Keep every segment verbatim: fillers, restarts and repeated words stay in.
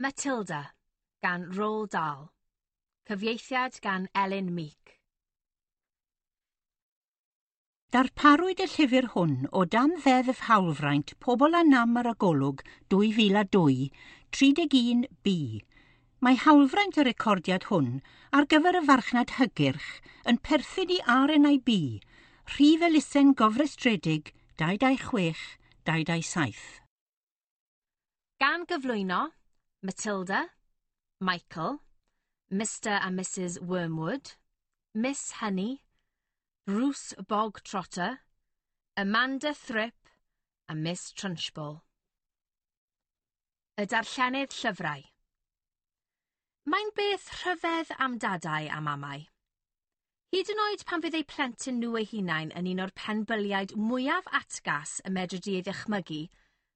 Matilda gan Roald Dahl. Cyfieithiad gan Elin Meek. Darparwyd y llyfr hwn o dan Ddeddf Hawlfraint Pobl â Nam ar y Golwg dwy fil a dwy, tri deg un B. Mae hawlfraint y recordiad hwn ar gyfer y farchnad hygyrch yn perthyn i R N I B, rhif elusen gofrestredig dau dau chwech dau dau saith. Gan gyflwyno Matilda, Michael, Mister and Missus Wormwood, Miss Honey, Bruce Bogtrotter, Amanda Thripp a Miss Trunchbull. Y darllenydd llyfrau. Mae'n beth rhyfedd am dadau a mamau. Hyd yn oed pan fydd eu plentyn nhw eu hunain yn un o'r penbyliaid mwyaf atgas y medri di ei ddychmygu,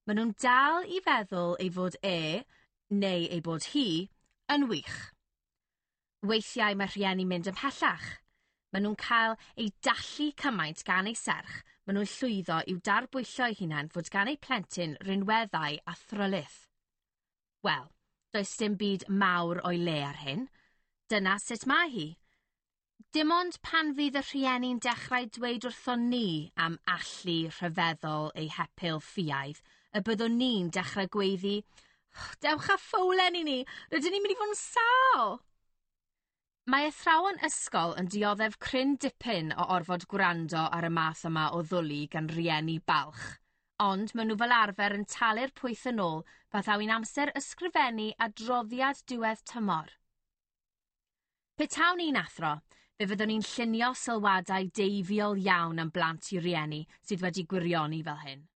maen nhw'n dal i feddwl ei fod e, neu ei bod hi, yn wych. Weithiau mae rhieni'n mynd ymhellach. Maen nhw'n cael eu dallu cymaint gan eu serch, maen nhw'n llwyddo i'w darbwyllo eu hunain fod gan eu plentyn rinweddau a thrylith. Wel, does dim byd mawr o'i le ar hyn. Dyna sut mae hi. Dim ond pan fydd y rhieni'n dechrau dweud wrthon ni am allu rhyfeddol eu hepil ffiaidd, y byddwn ni'n dechrau gweiddi, "Dewch â ffowlen i ni, rydyn ni'n mynd i fod yn sâl!" Mae athrawon ysgol yn dioddef cryn dipyn o orfod gwrando ar y math yma o ddwli gan rieni balch, ond maen nhw fel arfer yn talu'r pwyth yn ôl pan ddaw hi'n amser ysgrifennu adroddiad diwedd tymor. Petawn i'n athro, fe fyddwn i'n llunio sylwadau deifiol iawn am blant i rieni sydd wedi gwirioni fel hyn.